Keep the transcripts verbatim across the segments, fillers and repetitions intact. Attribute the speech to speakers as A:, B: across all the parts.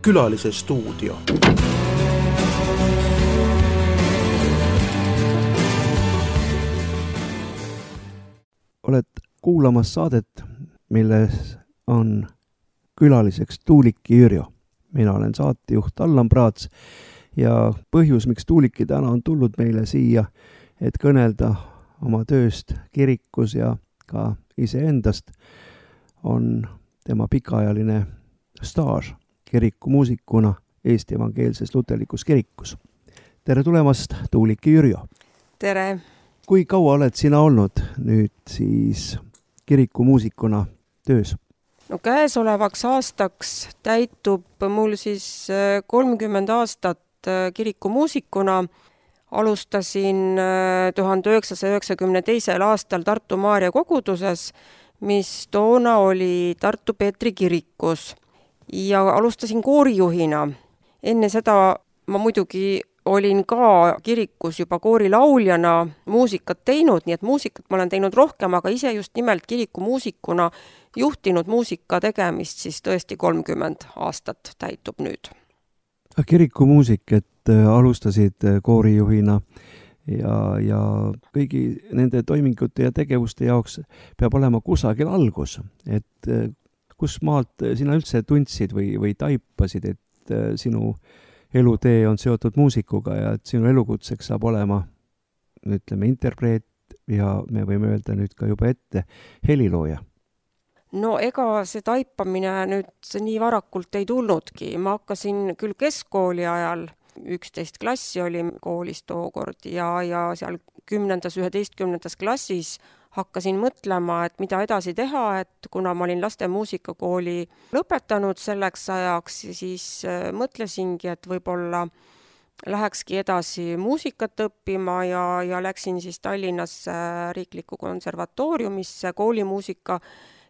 A: Külalise stuudio.
B: Oled kuulamas saadet, milles on külaliseks Tuuliki Jürjo. Mina olen saatejuht Allan Praats ja põhjus, miks Tuuliki täna on tulnud meile siia, et kõnelda oma tööst kirikus ja ka iseendast, on tema pikaajaline staaž kirikumuusikuna Eesti Evangeelses Luterlikus Kirikus. Tere tulemast, Tuuliki Jürjo!
C: Tere!
B: Kui kaua oled sina olnud nüüd siis kirikumuusikuna töös?
C: No käesolevaks aastaks täitub mul siis kolmkümmend aastat kirikumuusikuna. Alustasin tuhande üheksasaja üheksakümne teisel aastal Tartu Maarja koguduses, mis toona oli Tartu Peetri kirikus. Ja alustasin koorijuhina. Enne seda ma muidugi olin ka kirikus juba koorilauljana muusikat teinud, nii et muusikat ma olen teinud rohkem, aga ise just nimelt kirikumuusikuna juhtinud muusika tegemist siis tõesti kolmkümmend aastat täitub nüüd.
B: Kirikumuusik, et alustasid koorijuhina ja, ja kõigi nende toimingute ja tegevuste jaoks peab olema kusagil algus, et kus maalt sina üldse tundsid või, või taipasid, et sinu elutee on seotud muusikuga ja et sinu elukutseks saab olema, ütleme, interpreet ja me võime öelda nüüd ka juba ette helilooja.
C: No ega see taipamine nüüd nii varakult ei tulnudki. Ma hakkasin küll keskkooli ajal, üksteist klassi oli koolis tookord ja, ja seal kümnendas, üheteistkümnendas klassis hakkasin mõtlema, et mida edasi teha, et kuna ma olin laste muusikakooli lõpetanud selleks ajaks, siis mõtlesingi, et võib-olla lähekski edasi muusikat õppima ja, ja läksin siis Tallinnasse riiklikku konservatooriumisse koolimuusika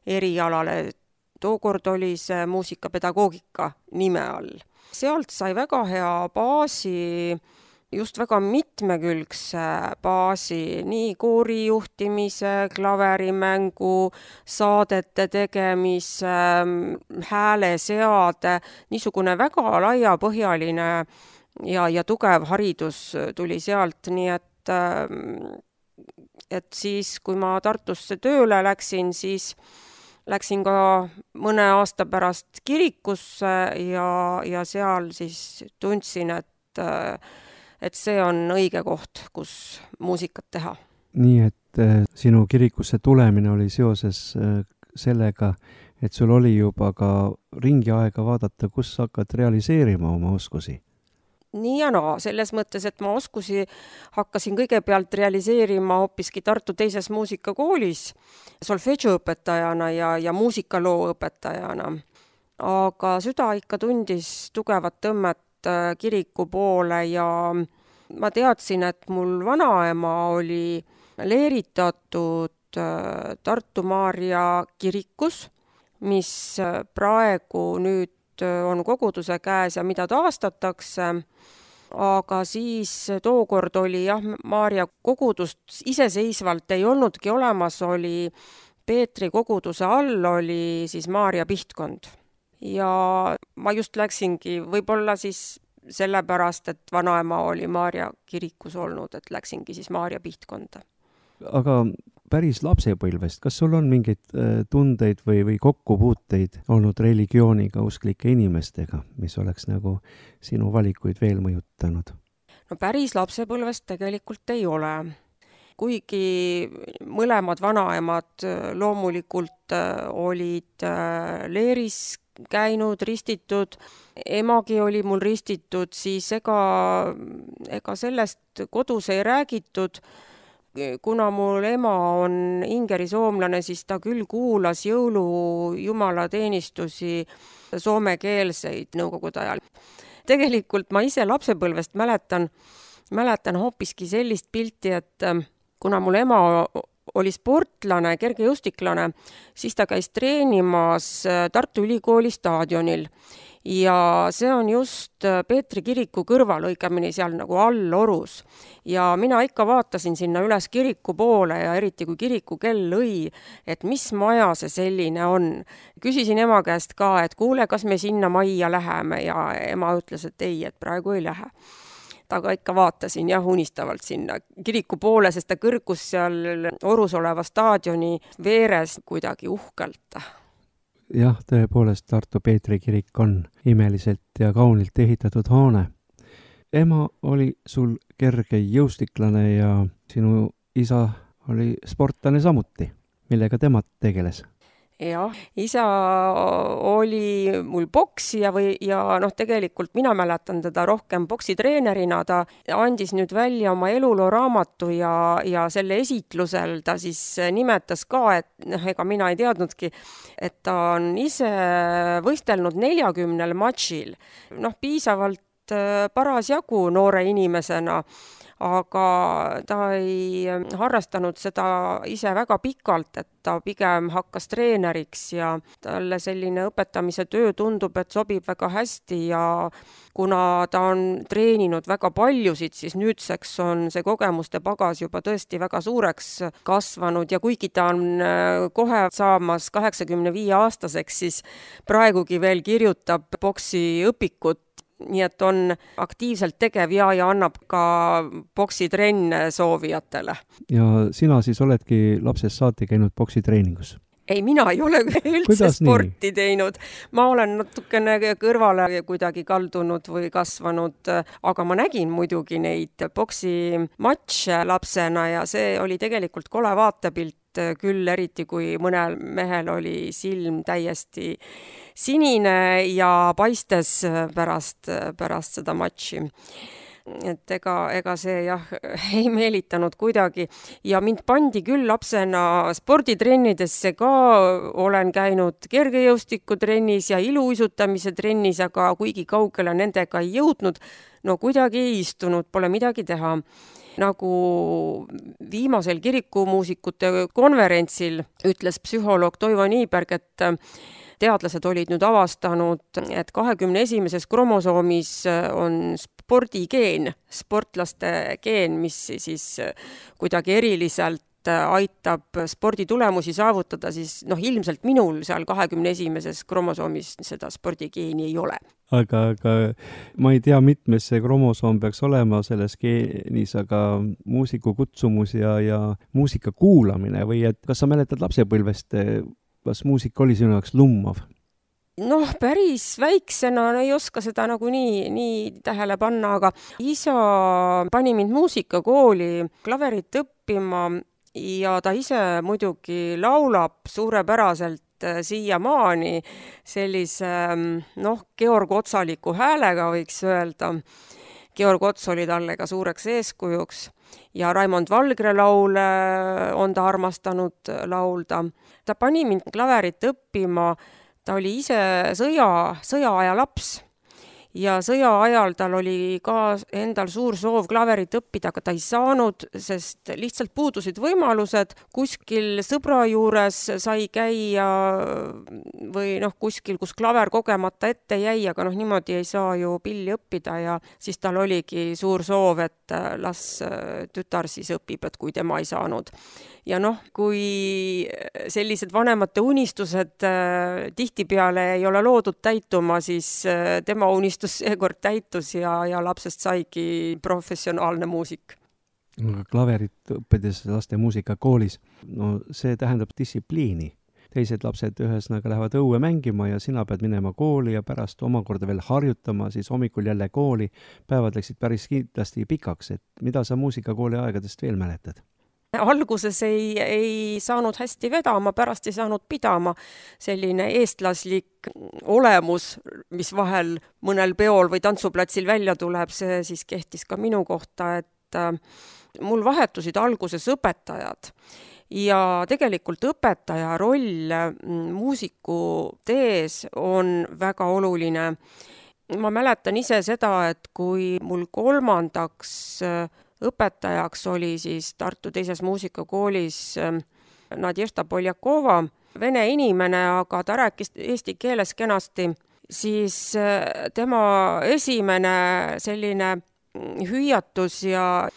C: erialale. Tookord oli see muusikapedagoogika nime all. Sealt sai väga hea baasi, just väga mitmekülgse baasi, nii koorijuhtimise, klaverimängu, saadete tegemise, hääleseade, niisugune väga laiapõhjaline ja, ja tugev haridus tuli sealt, nii et, et siis, kui ma Tartusse tööle läksin, siis läksin ka mõne aasta pärast kirikusse ja, ja seal siis tundsin, et et see on õige koht, kus muusikat teha.
B: Nii, et sinu kirikusse tulemine oli seoses sellega, et sul oli juba ka ringi aega vaadata, kus hakkad realiseerima oma oskusi?
C: Nii ja naa, selles mõttes, et ma oskusi hakkasin kõigepealt realiseerima hoopiski Tartu teises muusikakoolis solfedžoõpetajana ja, ja muusikaloo õpetajana. Aga süda ikka tundis tugevat tõmmet kiriku poole ja ma teadsin, et mul vanaema oli leeritatud Tartu Maarja kirikus, mis praegu nüüd on koguduse käes ja mida taastatakse, aga siis tookord oli jah, Maarja kogudust iseseisvalt ei olnudki olemas, oli Peetri koguduse all oli siis Maarja Pihtkond. Ja ma just läksingi võib-olla siis sellepärast, et vanaema oli Maarja kirikus olnud, et läksingi siis Maarja Pihtkonda.
B: Aga päris lapsepõlvest, kas sul on mingeid tundeid või, või kokkupuuteid olnud religiooniga, usklike inimestega, mis oleks nagu sinu valikuid veel mõjutanud?
C: No päris lapsepõlvest tegelikult ei ole. Kuigi mõlemad vanaemad loomulikult olid leeris käinud, ristitud, emagi oli mul ristitud, siis ega, ega sellest kodus ei räägitud. Kuna mul ema on ingerisoomlane, siis ta küll kuulas jõulu jumalateenistusi soomekeelseid nõukogude ajal. Tegelikult ma ise lapsepõlvest mäletan, mäletan hoopiski sellist pilti, et kuna mul ema oli sportlane, kergejõustiklane, siis ta käis treenimas Tartu Ülikooli staadionil. ja see on just Peetri kiriku kõrval, õigemini seal nagu all Orus. Ja mina ikka vaatasin sinna üles kiriku poole ja eriti kui kiriku kell lõi, et mis maja see selline on. Küsisin ema käest ka, et kuule, kas me sinna majja läheme ja ema ütles, et ei, et praegu ei lähe. Aga ikka vaatasin jah unistavalt sinna kiriku poole, sest ta kõrgus seal Orus oleva staadioni veeres kuidagi uhkelt.
B: Jah, tõepoolest Tartu Peetri kirik on imeliselt ja kaunilt ehitatud hoone. Ema oli sul kerge jõustiklane ja sinu isa oli sportlane samuti, millega tema tegeles.
C: Jah, isa oli mul poksija või, ja noh, tegelikult mina mäletan teda rohkem poksitreenerina, ta andis nüüd välja oma eluloo raamatu ja, ja selle esitlusel ta siis nimetas ka, et noh, ega mina ei teadnudki, et ta on ise võistelnud neljakümnel matšil, noh, piisavalt parasjagu noore inimesena, aga ta ei harrastanud seda ise väga pikalt, et ta pigem hakkas treeneriks ja talle selline õpetamise töö tundub, et sobib väga hästi ja kuna ta on treeninud väga paljusid, siis nüüdseks on see kogemuste pagas juba tõesti väga suureks kasvanud ja kuigi ta on kohe saamas kaheksakümne viie aastaseks, siis praegugi veel kirjutab poksiõpikut, nii et on aktiivselt tegev ja, ja annab ka poksitrenne soovijatele. Ja
B: sina siis oledki lapsest saati käinud poksitreeningus?
C: Ei, mina ei ole üldse Kuidas sporti nii? teinud. Ma olen natukene kõrvale kuidagi kaldunud või kasvanud, aga ma nägin muidugi neid poksimatše lapsena ja see oli tegelikult kole vaatepilt küll, eriti kui mõnel mehel oli silm täiesti sinine ja paistes pärast, pärast seda matši. Et ega, ega see jah ei meelitanud kuidagi ja mind pandi küll lapsena sporditrennidesse ka, olen käinud kergejõustikutrennis ja iluuisutamise trennis, aga kuigi kaugele nendega ei jõudnud, no kuidagi ei istunud, pole midagi teha. Nagu viimasel kirikumuusikute konverentsil ütles psühholoog Toivo Niiberg, et teadlased olid nüüd avastanud, et kahekümne esimeses kromosoomis on spordigeen, sportlaste geen, mis siis kuidagi eriliselt aitab sporditulemusi saavutada, siis noh, ilmselt minul seal kahekümne esimeses kromosoomis seda spordigeeni ei ole.
B: Aga, aga ma ei tea, mitmes see kromosoom peaks olema selles geenis, aga muusiku kutsumus ja, ja muusika kuulamine või et kas sa mäletad lapsepõlvest, kas muusika oli sinu jaoks lummav?
C: Noh, päris väiksena ei oska seda nagu nii, nii tähele panna, aga isa pani mind muusikakooli klaverit õppima ja ta ise muidugi laulab suurepäraselt siiamaani sellise, noh, Georg Otsaliku häälega võiks öelda. Georg Ots oli talle ka suureks eeskujuks ja Raimond Valgre laule on ta armastanud laulda. Ta pani mind klaverit õppima, ta oli ise sõja, sõjaaja laps. Ja sõja ajal tal oli ka endal suur soov klaverit õppida, aga ta ei saanud, sest lihtsalt puudusid võimalused. Kuskil sõbra juures sai käia või noh, kuskil, kus klaver kogemata ette jäi, aga noh, niimoodi ei saa ju pilli õppida ja siis tal oligi suur soov, et las tütar siis õpib, et kui tema ei saanud. Ja noh, kui sellised vanemate unistused tihtipeale ei ole loodud täituma, siis tema unistus seekord täitus ja, ja lapsest saigi professionaalne muusik.
B: Klaverit õppides laste muusikakoolis, no see tähendab distsipliini. Teised lapsed ühesõnaga lähevad õue mängima ja sina pead minema kooli ja pärast omakorda veel harjutama, siis hommikul jälle kooli. Päevad läksid päris kindlasti pikaks, et mida sa muusikakooli aegadest veel mäletad?
C: Alguses ei, ei saanud hästi vedama, pärast ei saanud pidama selline eestlaslik olemus, mis vahel mõnel peol või tantsuplatsil välja tuleb, see siis kehtis ka minu kohta, et mul vahetusid alguses õpetajad ja tegelikult õpetaja roll muusiku tees on väga oluline. Ma mäletan ise seda, et kui mul kolmandaks õpetajaks oli siis Tartu teises muusikakoolis Nadježda Poljakova, vene inimene, aga ta rääkis eesti keeles kenasti siis tema esimene selline hüüatus ja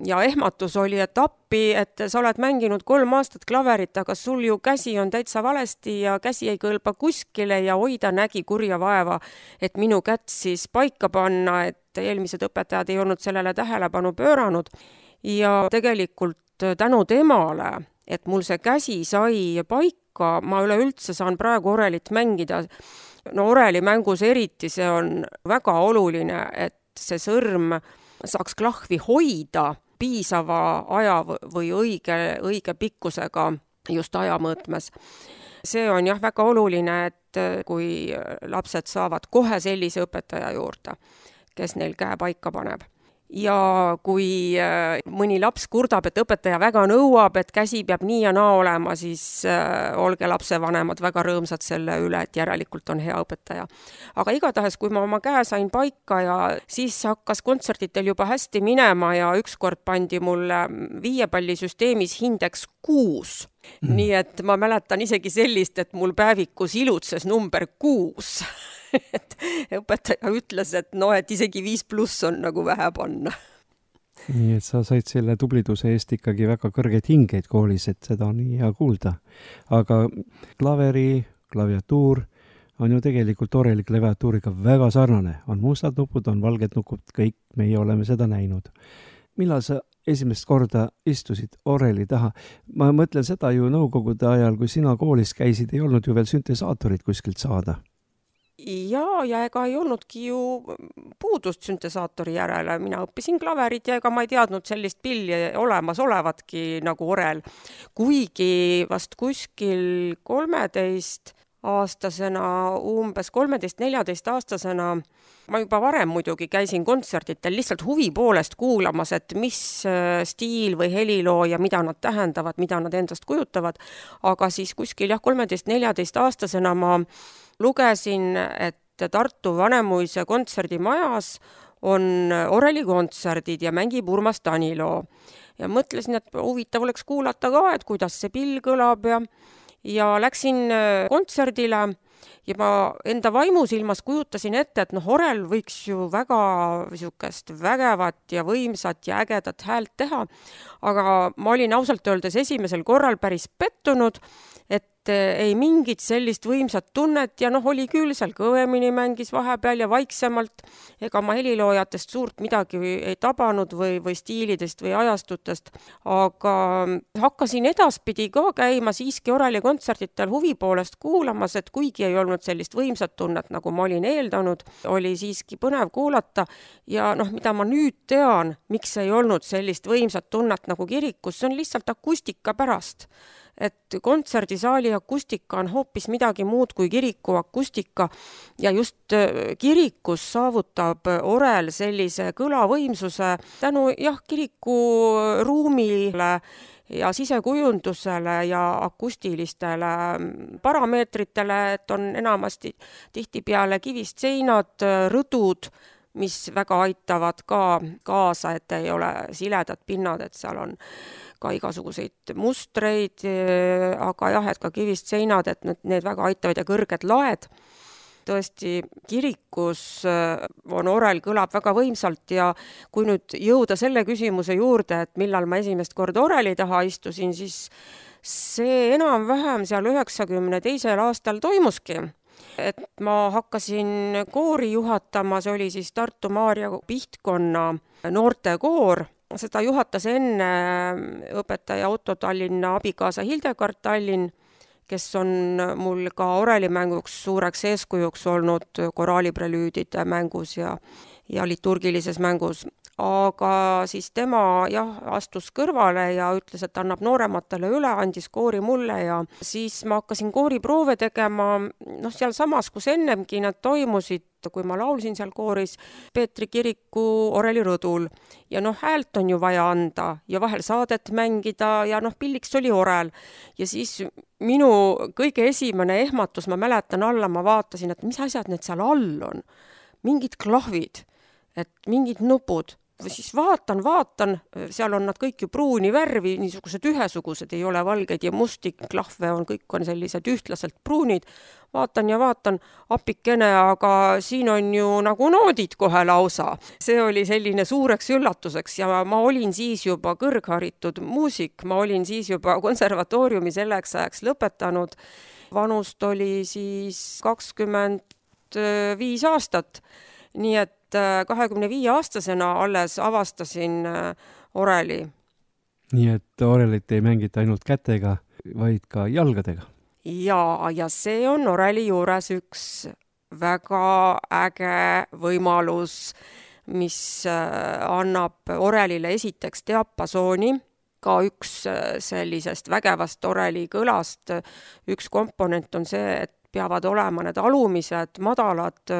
C: Ja ehmatus oli, et appi, et sa oled mänginud kolm aastat klaverit, aga sul ju käsi on täitsa valesti ja käsi ei kõlba kuskile ja hoida nägi kurja vaeva, et minu kätt siis paika panna, et eelmised õpetajad ei olnud sellele tähelepanu pööranud. Ja tegelikult tänu temale, et mul see käsi sai paika, ma üleüldse saan praegu orelit mängida. No oreli mängus eriti see on väga oluline, et see sõrm saaks klahvi hoida piisava aja või õige, õige pikkusega just aja mõõtmes. See on jah väga oluline, et kui lapsed saavad kohe sellise õpetaja juurde, kes neil käe paika paneb. Ja kui mõni laps kurdab, et õpetaja väga nõuab, et käsi peab nii ja naa olema, siis olge lapsevanemad väga rõõmsad selle üle, et järelikult on hea õpetaja. Aga igatahes, kui ma oma käe sain paika ja siis hakkas kontsertitel juba hästi minema ja ükskord pandi mulle viiepallisüsteemis hindeks kuus. Mm. Nii et ma mäletan isegi sellist, et mul päevikus ilutses number kuus. Et õpetaja ütles, et no, et isegi viis pluss on nagu vähe panna.
B: Nii, et sa said selle tubliduse eest ikkagi väga kõrgeid hingeid koolis, et seda on nii hea kuulda. Aga klaveri, klaviatuur on ju tegelikult oreli klaviatuuriga väga sarnane. On mustad nupud, on valged nupud, kõik meie oleme seda näinud. Millal sa esimest korda istusid oreli taha? Ma mõtlen seda ju nõukogude ajal, kui sina koolis käisid, ei olnud ju veel süntesaatorit kuskilt saada.
C: Ja, ja ega ei olnudki ju puudust süntesaatori järele. Mina õppisin klaverit ja ega ma ei teadnud sellist pilli olemas olevatki nagu orel. Kuigi vast kuskil kolmeteist aastasena, umbes kolmeteist neljateist aastasena, ma juba varem muidugi käisin kontsertitel lihtsalt huvi poolest kuulamas, et mis stiil või heliloo ja mida nad tähendavad, mida nad endast kujutavad. Aga siis kuskil jah, kolmeteist neljateist aastasena ma lugesin, et Tartu Vanemuise kontserdimajas on orelikontserdid ja mängib Urmas Taniloo. Ja mõtlesin, et huvitav oleks kuulata ka, et kuidas see pill kõlab ja, ja läksin kontserdile ja ma enda vaimusilmas kujutasin ette, et noh, orel võiks ju väga niisugust vägevat ja võimsat ja ägedat häält teha, aga ma olin ausalt öeldes esimesel korral päris pettunud, et ei mingit sellist võimsat tunnet ja noh, oli küll seal kõvemini mängis vahepeal ja vaiksemalt, ega ma heliloojatest suurt midagi ei tabanud või, või stiilidest või ajastutest, aga hakkasin edaspidi ka käima siiski oreli kontsertitel huvi poolest kuulamas, et kuigi ei olnud sellist võimsat tunnet, nagu ma olin eeldanud, oli siiski põnev kuulata ja noh, mida ma nüüd tean, miks ei olnud sellist võimsat tunnet nagu kirikus, see on lihtsalt akustika pärast. Et kontserdisaali akustika on hoopis midagi muud kui kiriku akustika ja just kirikus saavutab orel sellise kõlavõimsuse tänu jah, kiriku ruumile ja sisekujundusele ja akustilistele parameetritele, et on enamasti tihtipeale kivist seinad, rõdud, mis väga aitavad ka kaasa, et ei ole siledad pinnad, et seal on ka igasuguseid mustreid, aga jah, et ka kivist seinad, et need väga aitavad ja kõrged laed. Tõesti, kirikus on orel kõlab väga võimsalt ja kui nüüd jõuda selle küsimuse juurde, et millal ma esimest korda oreli taha istusin, siis see enam-vähem seal üheksakümne teisel aastal toimuski. Et ma hakkasin koori juhatama, see oli siis Tartu Maarja Pihtkonna noortekoor. Seda juhatas enne õpetaja Otto Tallinna abikaasa Hildegard Tallinn, kes on mul ka orelimänguks suureks eeskujuks olnud koraaliprelüüdide mängus ja, ja liturgilises mängus. Aga siis tema jah, astus kõrvale ja ütles, et annab noorematele üle, andis koori mulle ja siis ma hakkasin kooriproove tegema, noh seal samas, kus ennemgi nad toimusid, kui ma laulsin seal kooris Peetri kiriku orelirõdul ja noh, häält on ju vaja anda ja vahel saadet mängida ja noh, pilliks oli orel ja siis minu kõige esimene ehmatus, ma mäletan alla, ma vaatasin, et mis asjad need seal all on, mingid klahvid, et mingid nupud, siis vaatan, vaatan, seal on nad kõik ju pruuni värvi, niisugused ühesugused, ei ole valgeid ja musti klahve on, kõik on sellised ühtlaselt pruunid. Vaatan ja vaatan, apikene, aga siin on ju nagu noodid kohe lausa. See oli selline suureks üllatuseks ja ma olin siis juba kõrgharitud muusik, ma olin siis juba konservatooriumi selleks ajaks lõpetanud. Vanust oli siis kakskümmend viis aastat, nii et kahekümne viie aastasena alles avastasin oreli.
B: Nii et orelit ei mängita ainult kätega, vaid ka jalgadega.
C: Ja, ja see on oreli juures üks väga äge võimalus, mis annab orelile esiteks diapasooni, ka üks sellisest vägevast oreli kõlast. Üks komponent on see, et peavad olema need alumised madalad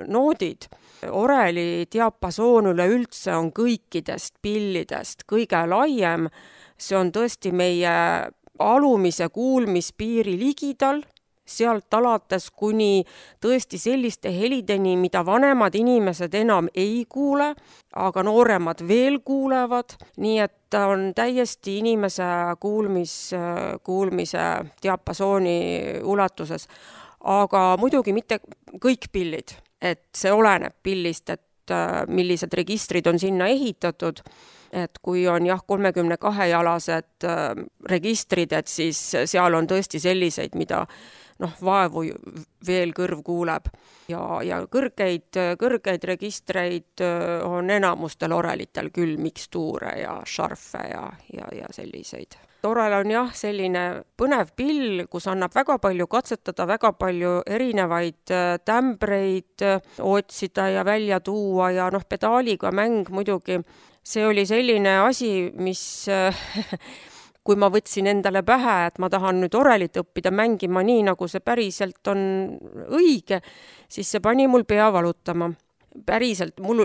C: noodid. Oreli diapasoon üleüldse on kõikidest pillidest kõige laiem. See on tõesti meie alumise kuulmispiiri ligidal, sealt alates kuni tõesti selliste helideni, mida vanemad inimesed enam ei kuule, aga nooremad veel kuulevad, nii et ta on täiesti inimese kuulmis, kuulmise diapasooni ulatuses. Aga muidugi mitte kõik pillid, et see oleneb pillist, et millised registrid on sinna ehitatud. Et kui on jah kolmekümne kahe jalased registrid, et siis seal on tõesti selliseid, mida noh, vaevu veel kõrv kuuleb. Ja, ja kõrgeid, kõrgeid registreid on enamustel orelitel küll mikstuure ja šarfe ja, ja, ja selliseid. Orel on jah selline põnev pill, kus annab väga palju katsetada, väga palju erinevaid tämbreid otsida ja välja tuua ja noh, pedaaliga mäng muidugi. See oli selline asi, mis kui ma võtsin endale pähe, et ma tahan nüüd orelit õppida mängima nii, nagu see päriselt on õige, siis see pani mul pea valutama. Päriselt, mul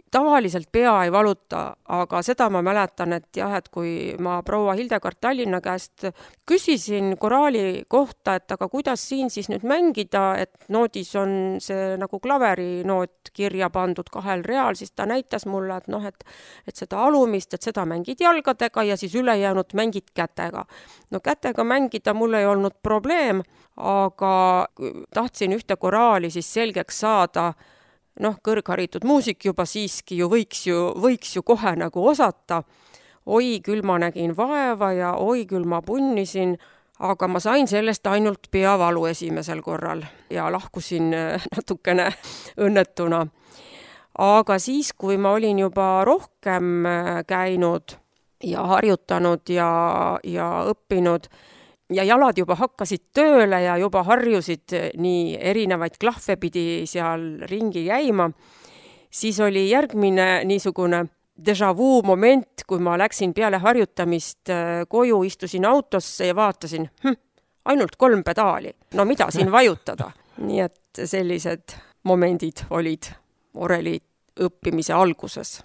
C: tavaliselt pea ei valuta, aga seda ma mäletan, et jah, et kui ma proua Hildegard Tallinna käest küsisin koraali kohta, et aga kuidas siin siis nüüd mängida, et noodis on see nagu klaveri noot kirja pandud kahel real, siis ta näitas mulle, et noh, et, et seda alumist, et seda mängid jalgadega ja siis ülejäänud mängid kätega. No kätega mängida mul ei olnud probleem, aga tahtsin ühte koraali siis selgeks saada. Noh, kõrgharitud muusik juba siiski ju võiks ju, võiks ju kohe nagu osata. Oi, küll ma nägin vaeva ja oi, küll ma punnisin, aga ma sain sellest ainult peavalu esimesel korral ja lahkusin natukene õnnetuna. Aga siis, kui ma olin juba rohkem käinud ja harjutanud ja, ja õppinud, ja jalad juba hakkasid tööle ja juba harjusid nii erinevaid klahve pidi seal ringi käima, siis oli järgmine niisugune déjà vu moment, kui ma läksin peale harjutamist koju, istusin autosse ja vaatasin, hm, ainult kolm pedaali, no mida siin vajutada. Nii et sellised momendid olid oreli õppimise alguses.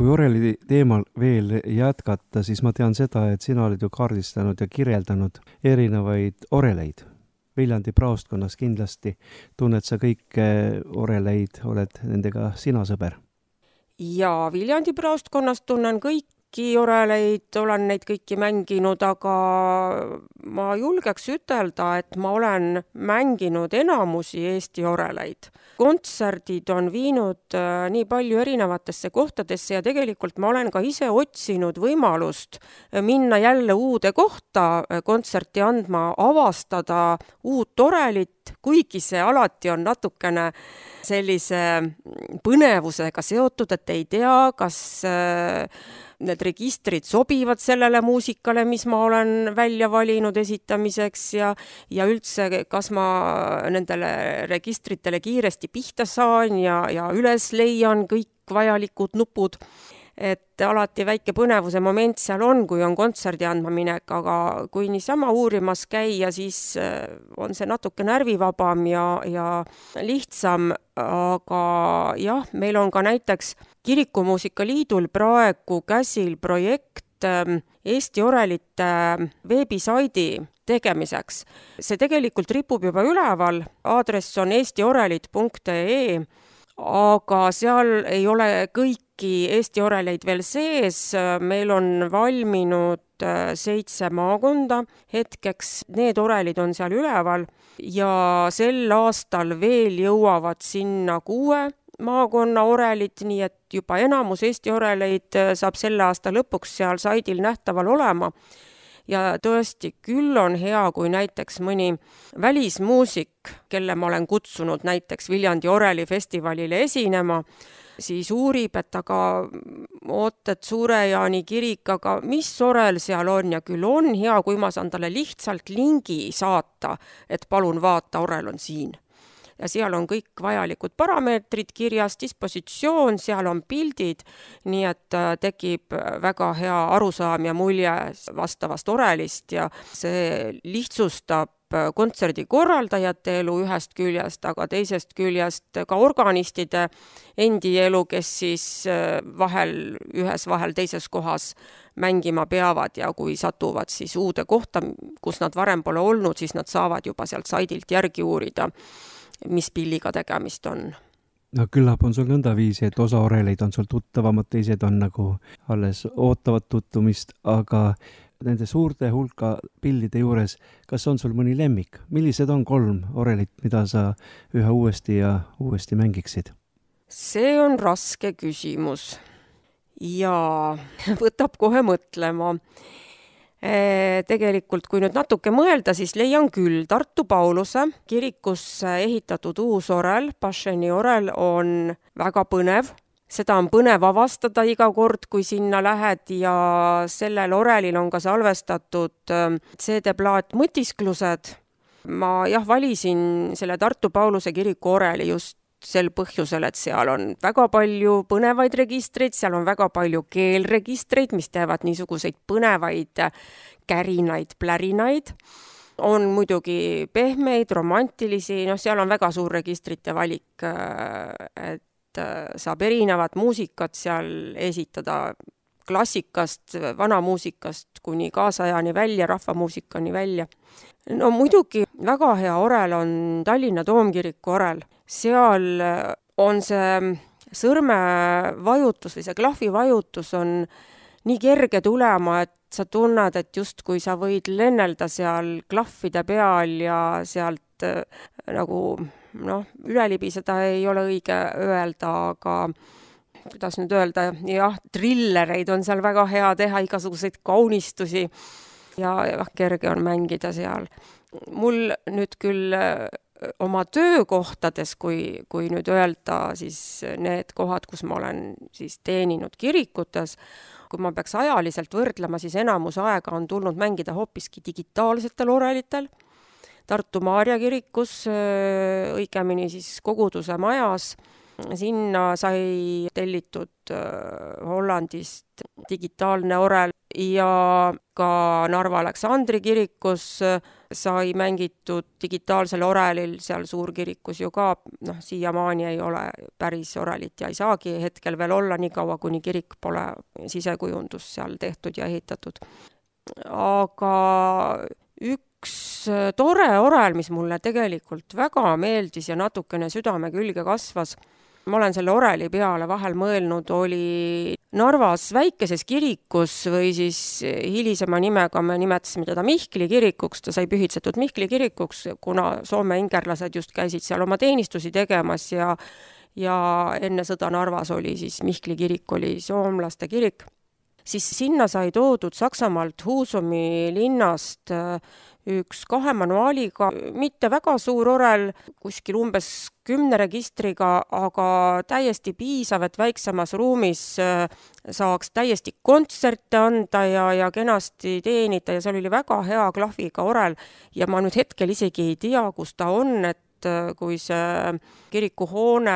B: kui oreli teemal veel jätkata, siis ma tean seda, et sina oled ju kaardistanud ja kirjeldanud erinevaid oreleid. Viljandi praostkonnas kindlasti tunned sa kõike oreleid, oled nendega sina sõber?
C: Ja Viljandi praostkonnas tunnen kõiki oreleid, olen neid kõiki mänginud, aga ma julgeks ütelda, et ma olen mänginud enamusi Eesti oreleid. Kontserdid on viinud nii palju erinevatesse kohtadesse ja tegelikult ma olen ka ise otsinud võimalust minna jälle uude kohta kontserti andma, avastada uut orelit, kuigi see alati on natukene sellise põnevusega seotud, et ei tea, kas need registrid sobivad sellele muusikale, mis ma olen välja valinud esitamiseks ja, ja üldse, kas ma nendele registritele kiiresti pihta saan ja, ja üles leian kõik vajalikud nupud. Et alati väike põnevuse moment seal on, kui on kontserdi andma minek, aga kui niisama uurimas käia, siis on see natuke närvivabam ja, ja lihtsam, aga jah, meil on ka näiteks Kirikumuusika Liidul praegu käsil projekt Eesti orelite veebisaidi tegemiseks. See tegelikult ripub juba üleval, aadress on eestiorelid punkt ee, aga seal ei ole kõiki Eesti oreleid veel sees, meil on valminud seitse maakonda, hetkeks need orelid on seal üleval ja sel aastal veel jõuavad sinna kuue maakonna orelid, nii et juba enamus Eesti oreleid saab selle aasta lõpuks seal saidil nähtaval olema. Ja tõesti, küll on hea, kui näiteks mõni välismuusik, kelle ma olen kutsunud näiteks Viljandi orelifestivalile esinema, siis uurib, et aga ootet Suure-Jaani kirik, aga mis orel seal on ja küll on hea, kui ma saan talle lihtsalt lingi saata, et palun vaata, orel on siin. Ja seal on kõik vajalikud parameetrid kirjas, dispositsioon, seal on pildid, nii et tekib väga hea arusaam ja mulje vastavast orelist ja see lihtsustab kontserdi korraldajate elu ühest küljest, aga teisest küljest ka organistide endi elu, kes siis vahel ühes, vahel teises kohas mängima peavad ja kui satuvad siis uude kohta, kus nad varem pole olnud, siis nad saavad juba sealt saidilt järgi uurida, mis pilliga tegemist on.
B: No küllap on sul nõnda viisi, et osa oreleid on sul tuttavamad, teised on nagu alles ootavad tuttumist, aga nende suurte hulka pillide juures, kas on sul mõni lemmik? Millised on kolm orelit, mida sa ühe uuesti ja uuesti mängiksid?
C: See on raske küsimus ja võtab kohe mõtlema. Tegelikult, kui nüüd natuke mõelda, siis leian küll Tartu Pauluse kirikusse ehitatud uus orel, Pašeni orel on väga põnev. Seda on põnev avastada iga kord, kui sinna lähed ja sellel orelil on ka salvestatud C D-plaat Mõtisklused. Ma jah valisin selle Tartu Pauluse kiriku oreli just sel põhjusel, et seal on väga palju põnevaid registreid, seal on väga palju keelregistreid, mis teevad niisuguseid põnevaid kärinaid, plärinaid. On muidugi pehmeid, romantilisi, noh seal on väga suur registrite valik, et saab erinevat muusikat seal esitada klassikast, vanamuusikast kuni kaasajani välja, rahvamuusikani välja. No muidugi väga hea orel on Tallinna Toomkiriku orel. Seal on see sõrmevajutus või see klahvivajutus on nii kerge tulema, et sa tunned, et just kui sa võid lennelda seal klahvide peal ja sealt nagu, noh, ülelibiseda ei ole õige öelda, aga kuidas nüüd öelda, jah, trillereid on seal väga hea teha, igasuguseid kaunistusi ja, ja kerge on mängida seal. Mul nüüd küll oma töökohtades, kui, kui nüüd öelda siis need kohad, kus ma olen siis teeninud kirikutes, kui ma peaks ajaliselt võrdlema, siis enamus aega on tulnud mängida hoopiski digitaalsetel orelitel. Tartu Maarja kirikus, õigemini siis koguduse majas, sinna sai tellitud Hollandist digitaalne orel ja ka Narva Aleksandri kirikus sai mängitud digitaalsel orelil, seal suurkirikus ju ka, noh, siiamaani ei ole päris orelit ja ei saagi hetkel veel olla nii kaua, kuni kirik pole sisekujundus seal tehtud ja ehitatud. Aga üks tore orel, mis mulle tegelikult väga meeldis ja natukene südame külge kasvas, ma olen selle oreli peale vahel mõelnud, oli Narvas väikeses kirikus või siis hilisema nimega me nimetasime teda Mihkli kirikuks, ta sai pühitsetud Mihkli kirikuks, kuna Soome ingerlased just käisid seal oma teenistusi tegemas ja, ja enne sõda Narvas oli siis Mihkli kirik, oli soomlaste kirik. Siis sinna sai toodud Saksamaalt Husumi linnast üks kahe manuaaliga, mitte väga suur orel, kuskil umbes kümne registriga, aga täiesti piisav, et väiksemas ruumis saaks täiesti kontserte anda ja, ja kenasti teenida ja seal oli väga hea klahviga orel ja ma nüüd hetkel isegi ei tea, kus ta on, et kui see kirikuhoone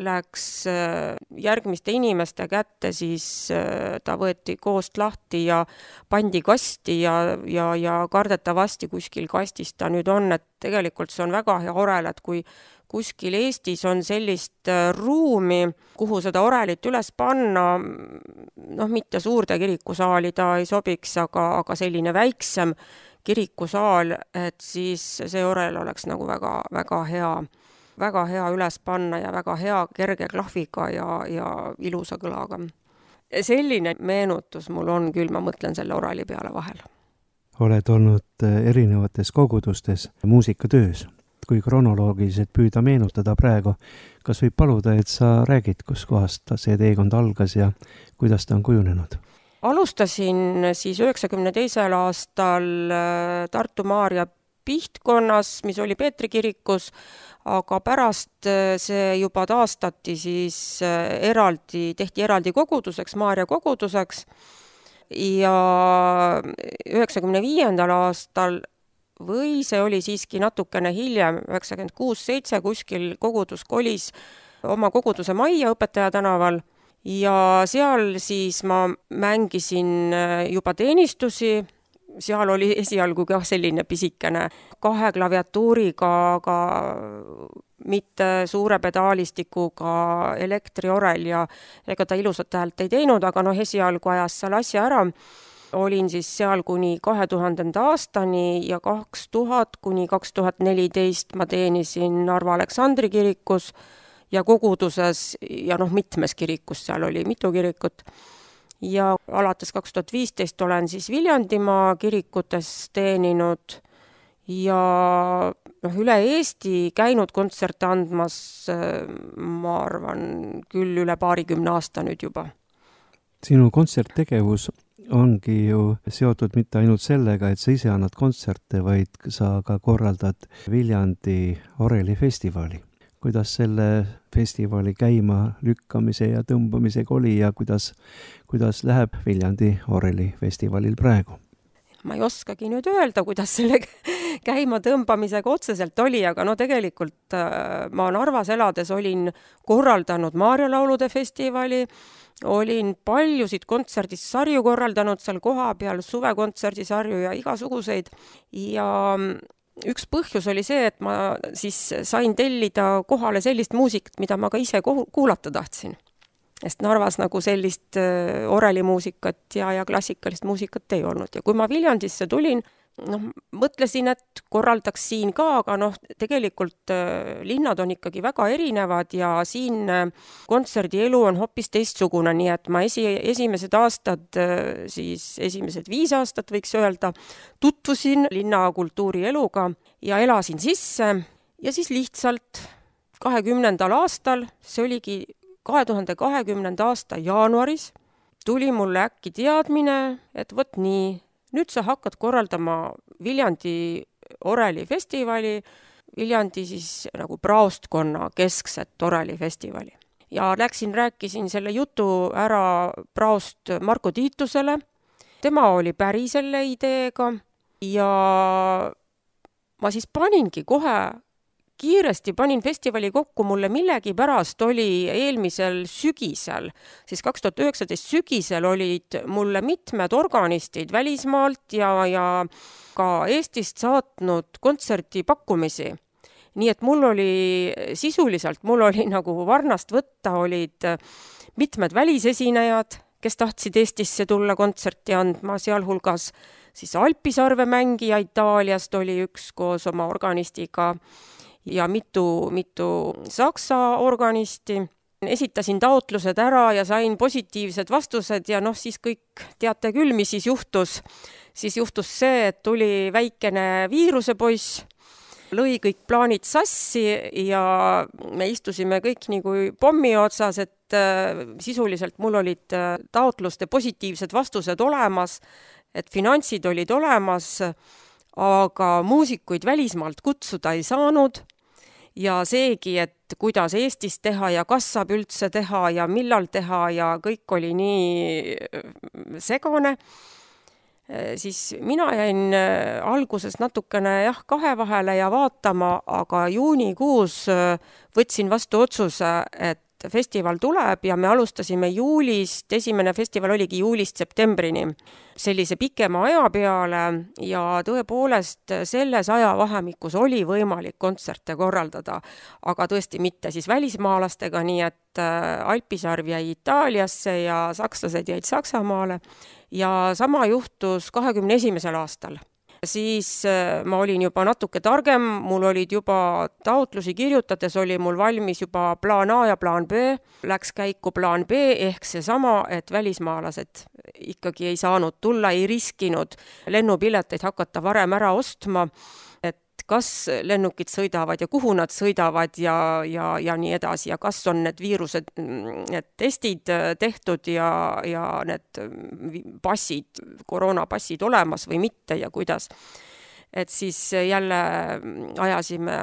C: läks järgmiste inimeste kätte, siis ta võeti koost lahti ja pandi kasti ja, ja, ja kardetavasti kuskil kastis ta nüüd on, et tegelikult see on väga hea orel, et kui kuskil Eestis on sellist ruumi, kuhu seda orelit üles panna, noh, mitte suurde kirikusaali ta ei sobiks, aga, aga selline väiksem kirikusaal, et siis see orel oleks nagu väga, väga hea, väga hea üles panna ja väga hea kerge klahviga ja, ja ilusa kõlaga. Selline meenutus mul on küll, ma mõtlen selle oreli peale vahel.
B: Oled olnud erinevates kogudustes muusikatöös. Kui kronoloogiliselt püüda meenutada praegu, kas võib paluda, et sa räägid, kus kohast see teekond algas ja kuidas ta on kujunenud?
C: Alustasin siis üheksakümne teisel aastal Tartu Maarja Pihtkonnas, mis oli Peetri kirikus, aga pärast see juba taastati siis eraldi, tehti eraldi koguduseks, Maarja koguduseks ja üheksakümne viiendal aastal või see oli siiski natukene hiljem, üheksakümmend kuus seitse kuskil kogudus kolis oma koguduse majja Õpetaja tänaval ja seal siis ma mängisin juba teenistusi, seal oli esialgu ka selline pisikene kahe klaviatuuriga, aga mitte suure pedaalistikuga elektriorel ja ega ta ilusat häält ei teinud, aga noh, esialgu ajas seal asja ära. Olin siis seal kuni kahe tuhandenda aastani ja kaks tuhat kuni kaks tuhat neliteist ma teenisin Narva Aleksandri kirikus ja koguduses ja noh, mitmes kirikus, seal oli mitu kirikut. Ja alates kaks tuhat viisteist olen siis Viljandimaa kirikutes teeninud ja noh, üle Eesti käinud kontserte andmas, ma arvan, küll üle paarikümne aasta nüüd juba.
B: Sinu kontserttegevus ongi ju seotud mitte ainult sellega, et sa ise annad kontserte, vaid sa ka korraldad Viljandi orelifestivali. Kuidas selle festivali käima lükkamise ja tõmbamisega oli ja kuidas, kuidas läheb Viljandi orelifestivalil praegu? Ma
C: ei oskagi nüüd öelda, kuidas selle käima tõmbamisega otseselt oli, aga no tegelikult ma Narvas elades olin korraldanud Maarja laulude festivali, olin paljusid kontserdisarju korraldanud seal koha peal, suvekontserdisarju ja igasuguseid ja üks põhjus oli see, et ma siis sain tellida kohale sellist muusikat, mida ma ka ise kuulata tahtsin. Sest Narvas nagu sellist orelimuusikat ja, ja klassikalist muusikat ei olnud. Ja kui ma Viljandisse tulin, noh, mõtlesin, et korraldaks siin ka, aga noh, tegelikult linnad on ikkagi väga erinevad ja siin kontserdielu on hoopis teistsugune, nii et ma esi, esimesed aastad, siis esimesed viis aastat võiks öelda, tutvusin linna kultuurieluga ja elasin sisse ja siis lihtsalt kahekümnendal aastal, see oligi kahe tuhande kahekümnenda aasta jaanuaris, tuli mulle äkki teadmine, et võt nii, nüüd sa hakkad korraldama Viljandi orelifestivali, Viljandi siis nagu praostkonna keskset orelifestivali. Ja läksin, rääkisin selle jutu ära praost Marko Tiitusele, tema oli päri selle ideega ja ma siis paningi kohe kiiresti panin festivali kokku, mulle millegipärast oli eelmisel sügisel, siis kaks tuhat üheksateist sügisel olid mulle mitmed organistid välismaalt ja, ja ka Eestist saatnud kontserdipakkumisi. Nii et mul oli sisuliselt, mul oli nagu varnast võtta, olid mitmed välisesinejad, kes tahtsid Eestisse tulla kontserti andma, sealhulgas siis Alpisarve mängija Itaaliast oli üks koos oma organistiga ja mitu, mitu saksa organisti. Esitasin taotlused ära ja sain positiivsed vastused ja noh, siis kõik teate küll, mis siis juhtus. Siis juhtus see, et tuli väikene viirusepoiss, lõi kõik plaanid sassi ja me istusime kõik nii kui pommi otsas, et äh, sisuliselt mul olid äh, taotluste positiivsed vastused olemas, et finantsid olid olemas, aga muusikuid välismaalt kutsuda ei saanud ja seegi, et kuidas Eestis teha ja kas saab üldse teha ja millal teha ja kõik oli nii segane. Siis mina jäin alguses natukene jah, kahe vahele ja vaatama, aga juunikuus võtsin vastu otsuse, et festival tuleb ja me alustasime juulist, esimene festival oligi juulist septembrini, sellise pikema aja peale ja tõepoolest selles ajavahemikus oli võimalik kontserte korraldada, aga tõesti mitte siis välismaalastega, nii et Alpisarv jäi Itaaliasse ja sakslased jäid Saksamaale ja sama juhtus kahekümne esimesel aastal. Siis ma olin juba natuke targem, mul olid juba taotlusi kirjutades, oli mul valmis juba plaan A ja plaan B, läks käiku plaan B ehk seesama, et välismaalased ikkagi ei saanud tulla, ei riskinud lennupileteid hakata varem ära ostma, et kas lennukid sõidavad ja kuhu nad sõidavad ja, ja, ja nii edasi ja kas on need viirused, need testid tehtud ja, ja need passid, koroonapassid olemas või mitte ja kuidas. Et siis jälle ajasime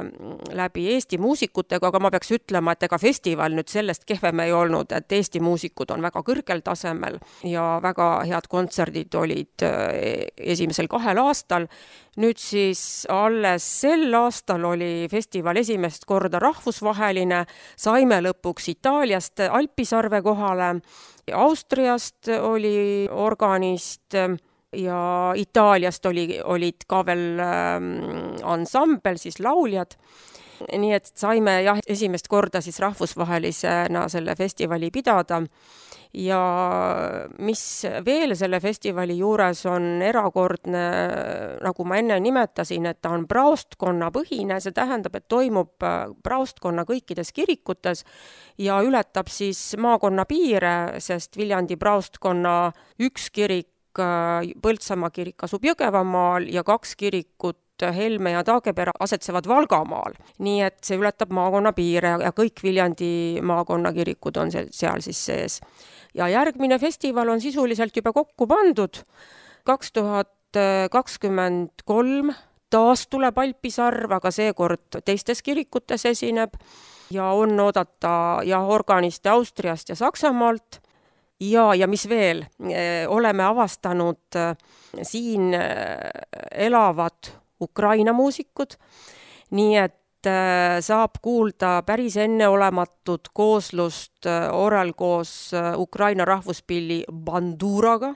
C: läbi Eesti muusikutega, aga ma peaks ütlema, et ega festival nüüd sellest kehvem ei olnud, et Eesti muusikud on väga kõrgel tasemel ja väga head kontserdid olid esimesel kahel aastal. Nüüd siis alles sel aastal oli festival esimest korda rahvusvaheline, saime lõpuks Itaaliast Alpisarve kohale, Austriast oli organist ja Itaaliast oli, olid ka veel ähm, ansambel, siis lauljad. Nii et saime jah, esimest korda siis rahvusvahelisena selle festivali pidada. Ja mis veel selle festivali juures on erakordne, nagu ma enne nimetasin, et ta on praostkonna põhine, see tähendab, et toimub praostkonna kõikides kirikutes ja ületab siis maakonna piire, sest Viljandi praostkonna üks kirik, Põltsamaa kirik asub Jõgevamaal ja kaks kirikut Helme ja Taagepera asetsevad Valgamaal. Nii et see ületab maakonna piire ja kõik Viljandi maakonna kirikud on seal siis sees. Ja järgmine festival on sisuliselt juba kokku pandud. kaks tuhat kakskümmend kolm taas tuleb Alpisarv, aga seekord teistes kirikutes esineb ja on oodata ja organiste Austriast ja Saksamaalt. Ja, ja mis veel, oleme avastanud siin elavad Ukraina muusikud, nii et saab kuulda päris enneolematut kooslust Orel koos Ukraina rahvuspilli Banduraga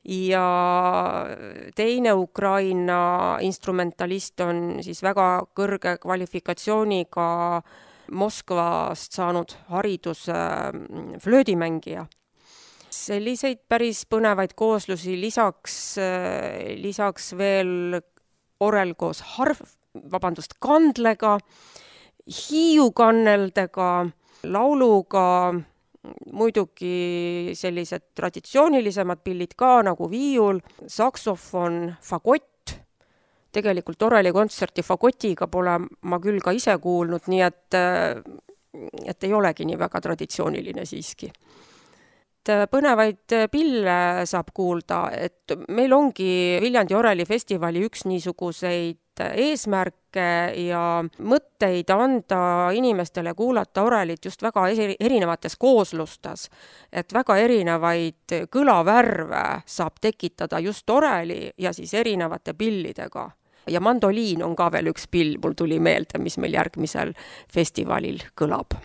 C: ja teine Ukraina instrumentalist on siis väga kõrge kvalifikatsiooniga Moskvast saanud hariduse flöödimängija. Selliseid päris põnevaid kooslusi lisaks, lisaks veel Orel koos harv, vabandust, kandlega, hiiukanneldega, lauluga, muidugi sellised traditsioonilisemad pillid ka nagu viiul, saksofon, fagott. Tegelikult Oreli kontserti fagotiga pole ma küll ka ise kuulnud, nii et, et ei olegi nii väga traditsiooniline siiski. Põnevaid pille saab kuulda, et meil ongi Viljandi Oreli festivali üks niisuguseid eesmärke ja mõtteid anda inimestele kuulata Orelit just väga erinevates kooslustes, et väga erinevaid kõlavärve saab tekitada just Oreli ja siis erinevate pillidega. ja mandoliin on ka veel üks pill, mul tuli meelde, mis meil järgmisel festivalil kõlab.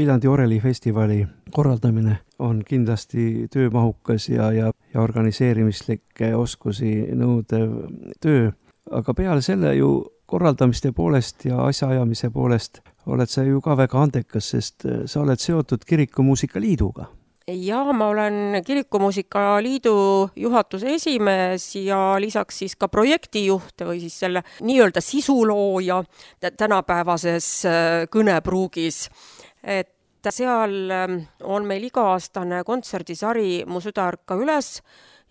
B: Viljandi orelifestivali korraldamine on kindlasti töömahukas ja, ja, ja organiseerimislikke oskusi nõudev töö, aga peale selle ju korraldamiste poolest ja asjaajamise poolest oled sa ju ka väga andekas, sest sa oled seotud Kirikumuusika Liiduga.
C: Ja ma olen Kirikumuusika Liidu juhatuse esimees ja lisaks siis ka projektijuht või siis selle nii-öelda sisulooja tänapäevases kõnepruugis. Et seal on meil iga-aastane kontserdisari Mu süda ärka üles.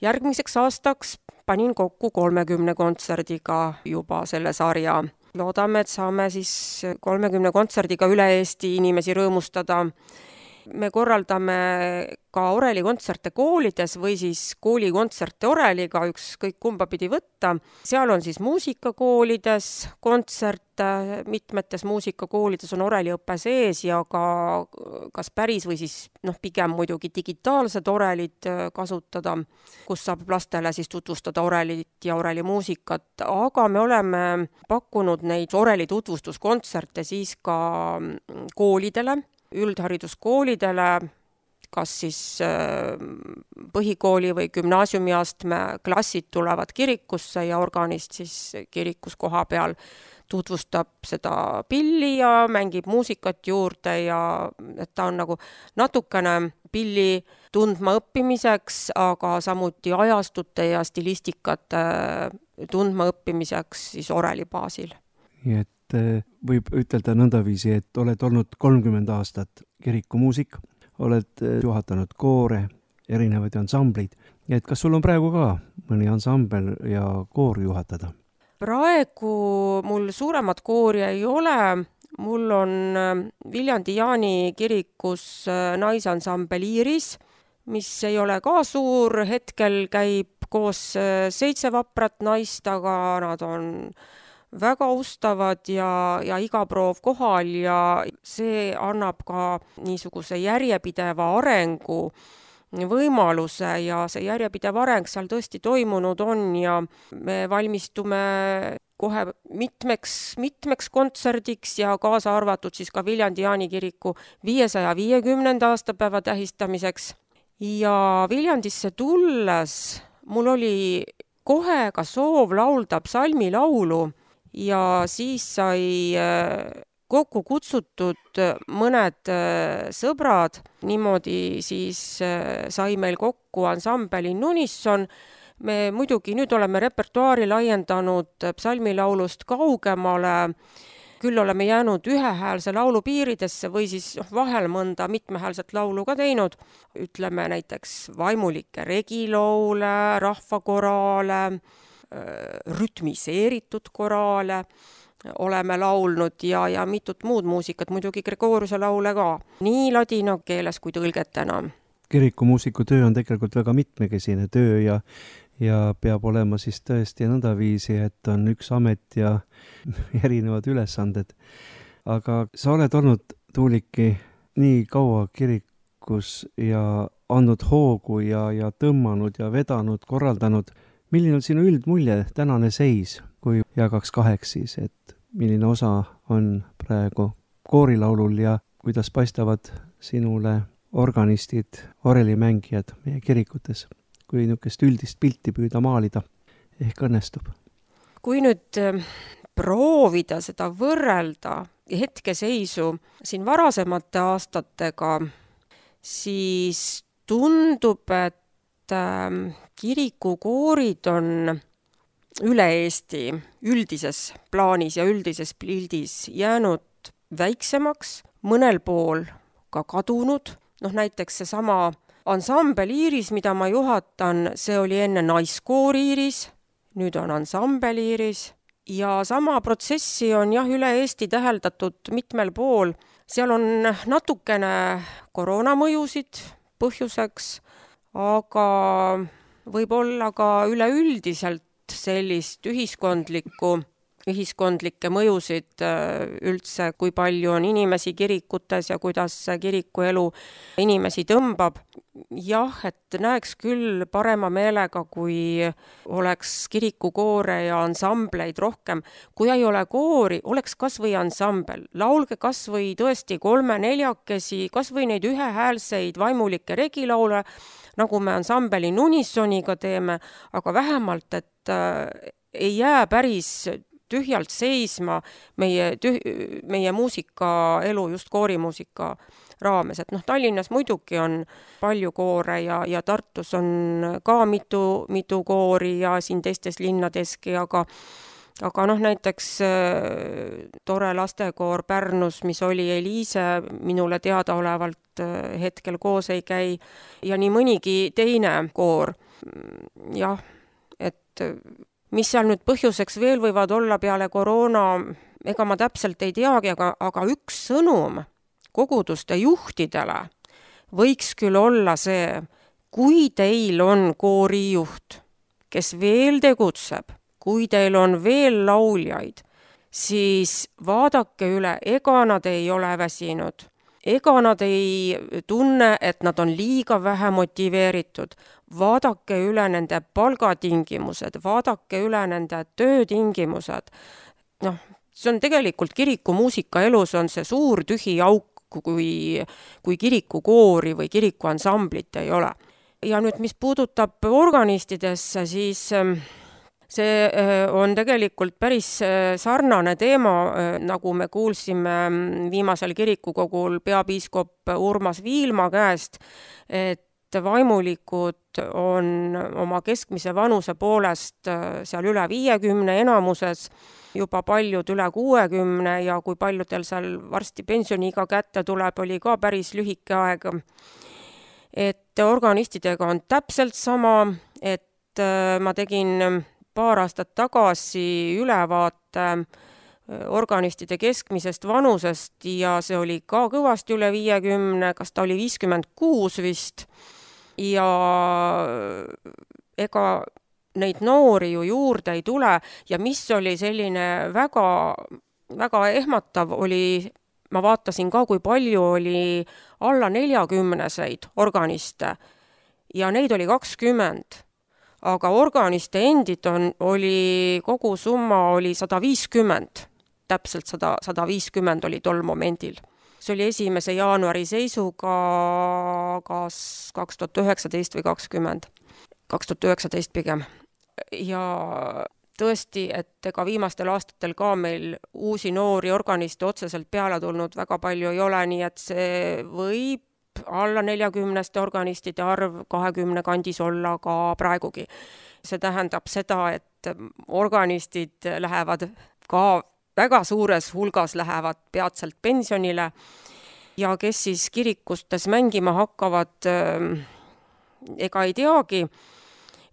C: Järgmiseks aastaks panin kokku kolmekümne kontserdiga juba selle sarja. Loodame, et saame siis kolmekümne kontserdiga üle Eesti inimesi rõõmustada. Me korraldame ka orelikontserte koolides või siis koolikontserte oreliga, ükskõik kumba pidi võtta. Seal on siis muusikakoolides kontserte, mitmetes muusikakoolides on oreliõppe sees ja ka kas päris või siis noh, pigem muidugi digitaalsed orelid kasutada, kus saab lastele siis tutvustada orelit ja orelimuusikat, aga me oleme pakkunud neid oreli tutvustuskontserte siis ka koolidele, üldhariduskoolidele, kas siis põhikooli või gümnaasiumiastme klassid tulevad kirikusse ja organist siis kirikus koha peal tutvustab seda pilli ja mängib muusikat juurde ja et ta on nagu natukene pilli tundma õppimiseks, aga samuti ajastute ja stilistikate tundma õppimiseks siis oreli baasil.
B: Nii et võib ütelda nõndaviisi, et oled olnud kolmkümmend aastat kirikumuusik, oled juhatanud koore, erinevaid ansamblid. Et kas sul on praegu ka mõni ansambel ja koor juhatada?
C: Praegu mul suuremat koori ei ole. Mul on Viljandi Jaani kirikus naisansambel Iiris, mis ei ole ka suur. Hetkel käib koos seitse vaprat naist, aga nad on väga ustavad ja, ja iga proov kohal ja see annab ka niisuguse järjepideva arengu võimaluse ja see järjepidev areng seal tõesti toimunud on ja me valmistume kohe mitmeks, mitmeks kontserdiks ja kaasa arvatud siis ka Viljandi Jaani kiriku viiesaja viiekümnenda aastapäeva tähistamiseks. Ja Viljandisse tulles mul oli kohe ka soov laulda psalmilaulu ja siis sai kokku kutsutud mõned sõbrad, niimoodi siis sai meil kokku ansambel In Unison. Me muidugi nüüd oleme repertuaari laiendanud psalmilaulust kaugemale, küll oleme jäänud ühehäälse laulu piiridesse või siis vahel mõnda mitmehäälset laulu ka teinud. Ütleme näiteks vaimulikke regilaule, rahvakoraale, rütmiseeritud koraale oleme laulnud ja, ja mitut muud muusikat, muidugi Gregoriuse laule ka, nii ladina keeles kui tõlgetena.
B: Kirikumuusiku töö on tegelikult väga mitmekesine töö ja ja peab olema siis tõesti nõndaviisi, et on üks amet ja erinevad ülesanded. Aga sa oled olnud, Tuuliki, nii kaua kirikus ja andnud hoogu ja, ja tõmmanud ja vedanud, korraldanud. Milline on sinu üldmulje, tänane seis, kui jagaks kaheks siis, et milline osa on praegu koorilaulul ja kuidas paistavad sinule organistid, orelimängijad meie kirikutes? Kui niisugust üldist pilti püüda maalida, ehk õnnestub.
C: Kui nüüd proovida seda võrrelda hetkeseisu siin varasemate aastatega, siis tundub, et kirikukoorid on üle Eesti üldises plaanis ja üldises pildis jäänud väiksemaks, mõnel pool ka kadunud. Noh, näiteks see sama ansambel Iiris, mida ma juhatan, see oli enne naiskoori Iiris, nüüd on ansambel Iiris ja sama protsessi on jah üle Eesti täheldatud mitmel pool. Seal on natukene koroonamõjusid põhjuseks, aga võib-olla ka üleüldiselt sellist ühiskondlikku ühiskondlikke mõjusid üldse, kui palju on inimesi kirikutes ja kuidas kirikuelu inimesi tõmbab. Jah, et näeks küll parema meelega, kui oleks kirikukoore ja ansambleid rohkem. Kui ei ole koori, oleks kas või ansambel. Laulge kas või tõesti kolme-neljakesi, kas või neid ühehäälseid vaimulikke regilaule, nagu me ansambeli In Unisoniga teeme, aga vähemalt, et ei jää päris tühjalt seisma meie, tüh, meie muusikaelu, just koorimuusika raames. Et noh, Tallinnas muidugi on palju koore ja, ja Tartus on ka mitu, mitu koori ja siin teistes linnadeski, aga, aga noh, näiteks äh, tore lastekoor Pärnus, mis oli Eliise, minule teadaolevalt äh, hetkel koos ei käi ja nii mõnigi teine koor. Jah, et mis seal nüüd põhjuseks veel võivad olla peale koroona, ega ma täpselt ei teagi, aga, aga üks sõnum koguduste juhtidele võiks küll olla see, kui teil on koorijuht, kes veel tegutseb, kui teil on veel lauljaid, siis vaadake üle, ega nad ei ole väsinud. Ega nad ei tunne, et nad on liiga vähe motiveeritud. Vaadake üle nende palgatingimused, vaadake üle nende töötingimused. Noh, see on tegelikult kirikumuusika elus on see suur tühi auk, kui, kui kirikukoori või kirikuansamblit ei ole. Ja nüüd, mis puudutab organistidesse, siis see on tegelikult päris sarnane teema, nagu me kuulsime viimasel kirikukogul peapiiskop Urmas Viilma käest, et vaimulikud on oma keskmise vanuse poolest seal üle viiekümne enamuses, juba paljud üle kuuekümne ja kui paljudel seal varsti pensioniiga kätte tuleb, oli ka päris lühike aeg. Et organistidega on täpselt sama, et ma tegin paar aastat tagasi ülevaate organistide keskmisest vanusest ja see oli ka kõvasti üle viiekümne, kas ta oli viiskümmend kuus vist. Ja ega neid noori ju juurde ei tule ja mis oli selline väga, väga ehmatav oli, ma vaatasin ka, kui palju oli alla neljakümneseid organiste ja neid oli kakskümmend. Aga organiste endid on, oli, kogu summa oli sada viiskümmend, täpselt sada, sada viiskümmend oli tol momendil. See oli esimese jaanuari seisuga kas kaks tuhat üheksateist või kakskümmend, kaks tuhat üheksateist pigem. Ja tõesti, et ega viimastel aastatel ka meil uusi noori organiste otseselt peale tulnud väga palju ei ole, nii et see võib alla neljakümneste organistide arv kahekümne kandis olla ka praegugi. See tähendab seda, et organistid lähevad ka väga suures hulgas lähevad peatselt pensionile ja kes siis kirikustes mängima hakkavad, ega ei teagi.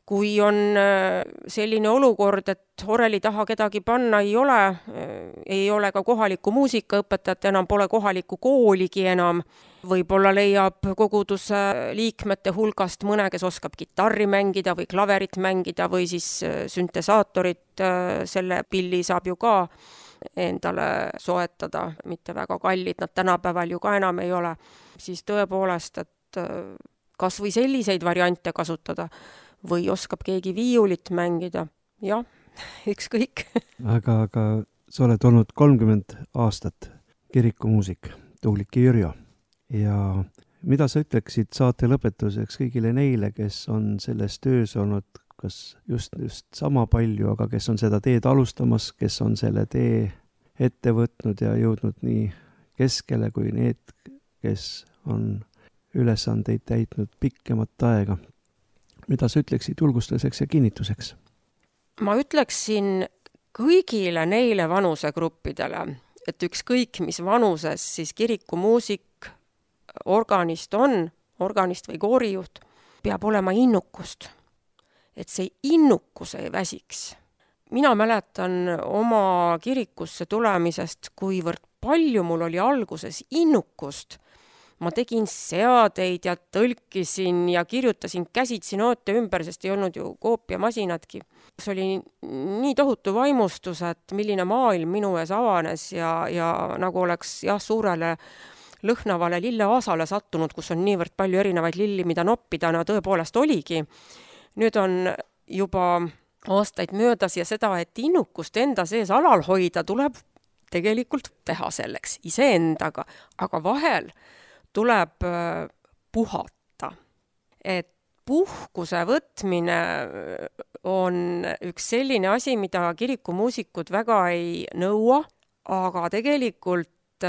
C: Kui on selline olukord, et oreli taha kedagi panna ei ole, ei ole ka kohaliku muusikaõpetajat, enam pole kohalikku kooligi enam, võib-olla leiab koguduse liikmete hulgast mõne, kes oskab kitarri mängida või klaverit mängida või siis süntesaatorit, selle pilli saab ju ka endale soetada, mitte väga kallid, nad tänapäeval ju ka enam ei ole, siis tõepoolest, et kas või selliseid variante kasutada või oskab keegi viiulit mängida, jah, ükskõik.
B: aga, aga sa oled olnud kolmkümmend aastat kirikumuusik, Tuulik Jürjo, ja mida sa ütleksid saate lõpetuseks kõigile neile, kes on selles töös olnud kas just, just sama palju, aga kes on seda teed alustamas, kes on selle tee ette võtnud ja jõudnud nii keskele kui need, kes on ülesandeid täitnud pikemat aega. Mida sa ütleksid julgustuseks ja kinnituseks?
C: Ma ütleksin kõigile neile vanusegruppidele, et ükskõik mis vanuses siis kirikumuusik, organist on, organist või koorijuht, peab olema innukust. Et see innukus ei väsiks. Mina mäletan oma kirikusse tulemisest, kuivõrd palju mul oli alguses innukust. Ma tegin seadeid ja tõlkisin ja kirjutasin käsitsi noote ümber, sest ei olnud ju koopiamasinadki. See oli nii tohutu vaimustus, et milline maailm minu ees avanes ja, ja nagu oleks jah, suurele lõhnavale lilleaasale sattunud, kus on niivõrd palju erinevaid lilli, mida noppida, no tõepoolest oligi. Nüüd on juba aastaid möödas ja seda, et innukust enda sees alal hoida, tuleb tegelikult teha selleks iseendaga, aga vahel tuleb puhata. Et puhkuse võtmine on üks selline asi, mida kirikumuusikud väga ei nõua, aga tegelikult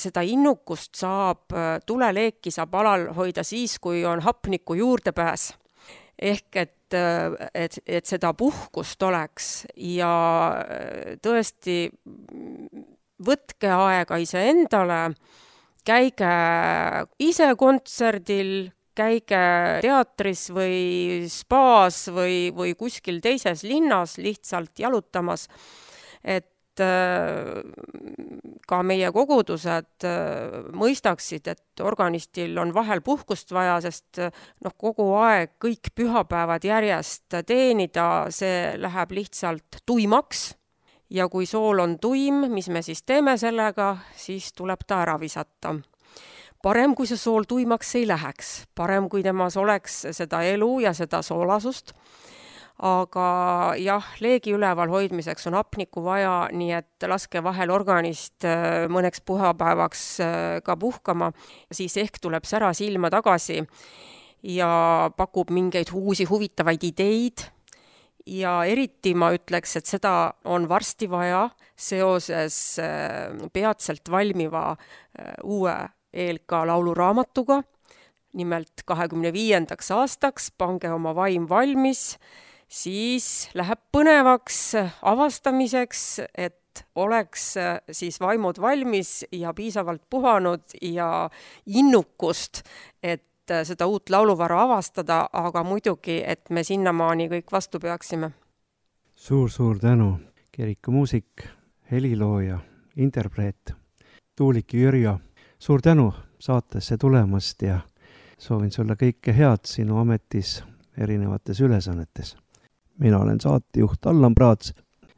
C: seda innukust saab, tuleleeki saab alal hoida siis, kui on hapniku juurdepääs. Ehk et, et, et seda puhkust oleks ja tõesti võtke aega iseendale, käige ise kontserdil, käige teatris või spaas või, või kuskil teises linnas lihtsalt jalutamas, et ka meie kogudused mõistaksid, et organistil on vahel puhkust vaja, sest noh, kogu aeg kõik pühapäevad järjest teenida, see läheb lihtsalt tuimaks. Ja kui sool on tuim, mis me siis teeme sellega, siis tuleb ta ära visata. Parem, kui see sool tuimaks ei läheks. Parem, kui temas oleks seda elu ja seda soolasust. Aga jah, leegi üleval hoidmiseks on hapniku vaja, nii et laske vahel organist mõneks puhapäevaks ka puhkama. Siis ehk tuleb sära silma tagasi ja pakub mingeid uusi huvitavaid ideid. Ja eriti ma ütleks, et seda on varsti vaja seoses peatselt valmiva uue E L K lauluraamatuga. Nimelt kahekümne viiendaks aastaks pange oma vaim valmis, siis läheb põnevaks avastamiseks, et oleks siis vaimud valmis ja piisavalt puhanud ja innukust, et seda uut lauluvara avastada, aga muidugi, et me sinnamaani kõik vastu peaksime.
B: Suur-suur tänu, kirikumuusik, helilooja, interpreet, Tuulik Jürjo. Suur tänu saatesse tulemast ja soovin sulle kõike head sinu ametis erinevates ülesannetes. Mina olen saatejuht Allan Praats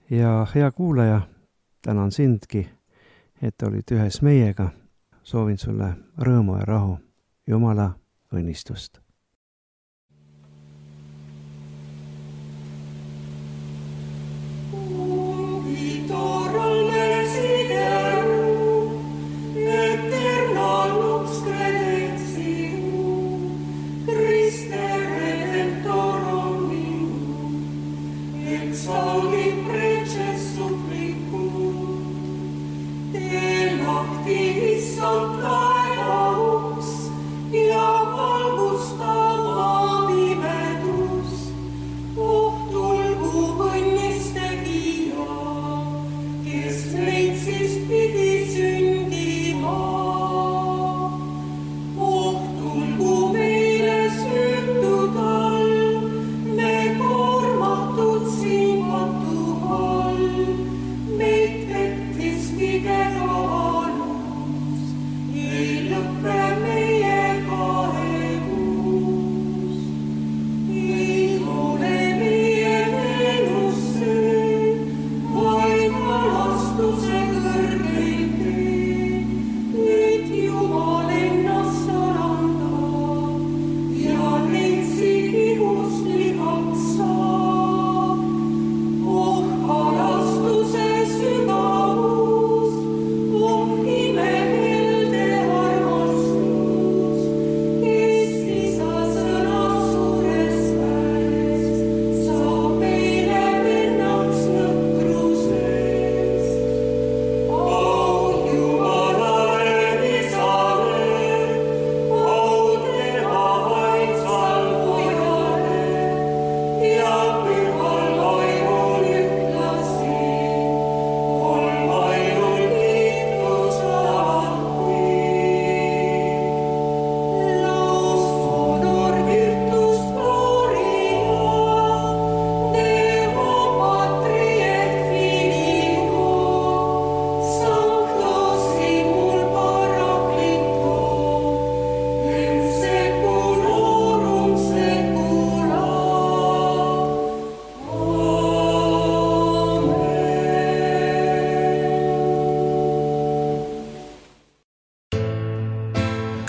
B: ja hea kuulaja, tänan sindki, et olid ühes meiega. Soovin sulle rõõmu ja rahu. Jumala õnnistust.
A: It's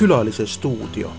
A: Külalise stuudio.